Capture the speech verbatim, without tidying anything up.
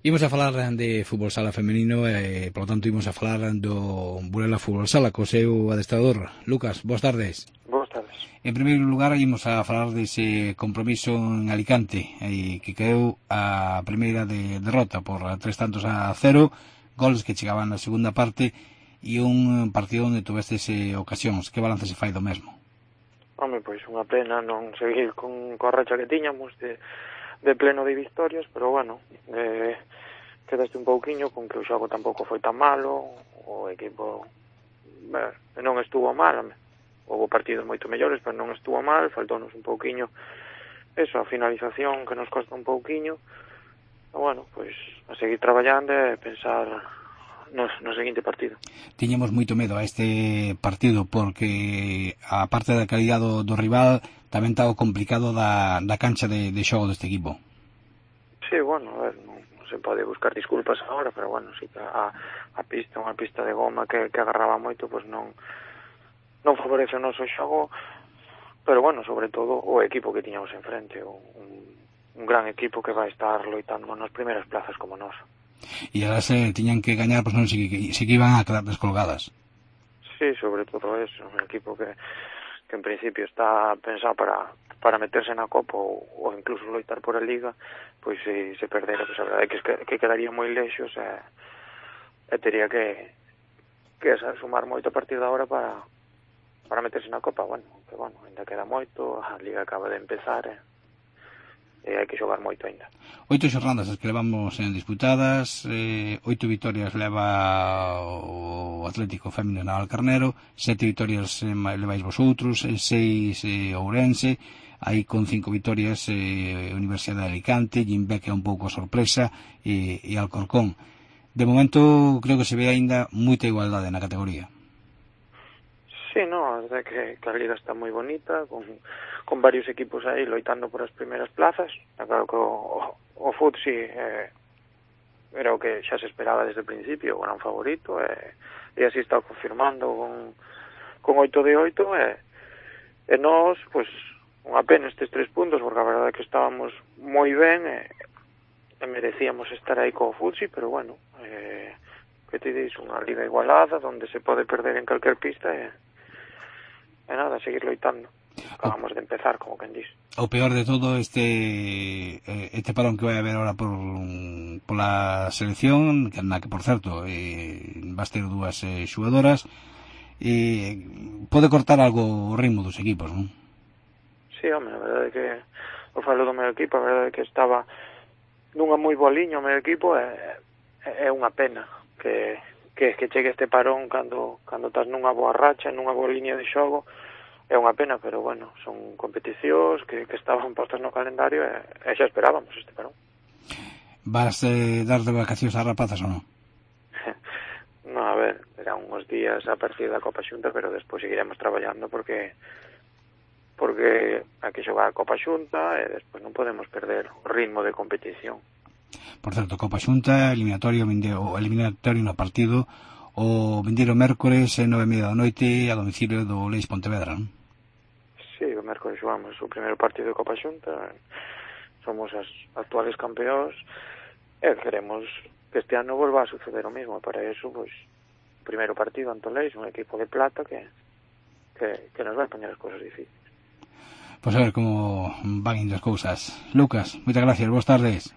Imos a falar de fútbol sala femenino e, polo tanto, imos a falar do Burela Fútbol Sala co seu adestrador. Lucas, boas tardes. Boas tardes. En primeiro lugar, imos a falar dese compromiso en Alicante, e que caeu a primeira de derrota por tres tantos a cero, goles que chegaban na segunda parte e un partido onde tuvestes eh, ocasións. Que balance se fai do mesmo? Home, pois unha pena non seguir con coa racha que tiñamos de, de pleno de victorias, pero bueno, eh, quedaste un pouquiño con que o xogo tampouco foi tan malo, o equipo ben, non estuvo mal, houve partidos moito mellores, pero non estuvo mal, faltounos un pouquiño eso, a finalización que nos costa un pouquiño, e bueno, pois a seguir traballando e pensar no, no seguinte partido. Tiñamos moito medo a este partido porque a parte da calidad do, do rival tamén estaba complicado da, da cancha de, de xogo deste equipo. Sí, bueno, a ver, non, non se pode buscar disculpas agora, pero bueno, sí que a, a pista, unha pista de goma que, que agarraba moito, pois non non favorece o noso xogo, pero bueno, sobre todo o equipo que tiñamos enfrente, un, un gran equipo que vai estar loitando nas primeiras plazas como nós. E ahora se tiñan que gañar, pois non sei que, se que iban a quedar descolgadas. Sí, sobre todo eso, un equipo que, que en principio está pensado para, para meterse na Copa ou, ou incluso loitar por a Liga, pois se, se perdera, pois a verdade é que, que quedaría moi lexos e, e tería que, que sumar moito a partir de agora para, para meterse na Copa. Bueno, que bueno, ainda queda moito, a Liga acaba de empezar e, e hai que xogar moito ainda. Oito xornadas as que levamos en disputadas, eh, oito vitorias leva o Atlético Fémino na Alcarnero, sete vitorias eh, levais vosotros, seis eh, Ourense, aí con cinco vitorias eh, Universidade de Alicante, Gimbe que é un pouco a sorpresa, e, e Alcorcón. De momento creo que se ve aínda moita igualdade na categoría. Sí, no, a verdade que, que a Liga está moi bonita, con, con varios equipos aí loitando por as primeiras plazas. Está claro que o, o, o Futsi eh, era o que xa se esperaba desde o principio, o gran favorito, e, e así está confirmando con, con oito de oito, e, e nós, pois, unha pena estes tres puntos, porque a verdade é que estábamos moi ben, e, e merecíamos estar aí co Futsi, pero bueno, eh, que te dis, unha liga igualada, onde se pode perder en calquer pista, e e nada, seguir loitando. Acabamos de empezar, como quen dis. O peor de todo este este parón que vai haber ahora por pola selección, que na que, por certo, eh, vas ter dúas eh, xugadoras, e pode cortar algo o ritmo dos equipos, non? Sí, home, a verdade é que o falo do meu equipo, a verdade é que estaba nunha moi boa liña o meu equipo, e é unha pena que que, que chegue este parón cando, cando estás nunha boa racha, nunha boa liña de xogo, é unha pena, pero bueno, son competicións que, que estaban postas no calendario e, e xa esperábamos este parón. Vas eh, dar de vacacións ás rapazas ou non? No, a ver, serán uns días a partir da Copa Xunta, pero despois seguiremos traballando porque porque hai que xogar a Copa Xunta e despois non podemos perder o ritmo de competición. Por certo, Copa Xunta, eliminatorio, o eliminatorio no partido o vindeiro mércores e nove e media da noite a domicilio do Leis Pontevedra, non? Sí, o mércores xogamos o primeiro partido de Copa Xunta, somos as actuales campeóns e queremos que este ano volva a suceder o mesmo. Para eso, pois, o primeiro partido ante o Leis, un equipo de plata que, que, que nos vai poñer as cousas difíciles. Pois a ver como van indo as cousas. Lucas, moitas gracias, boas tardes.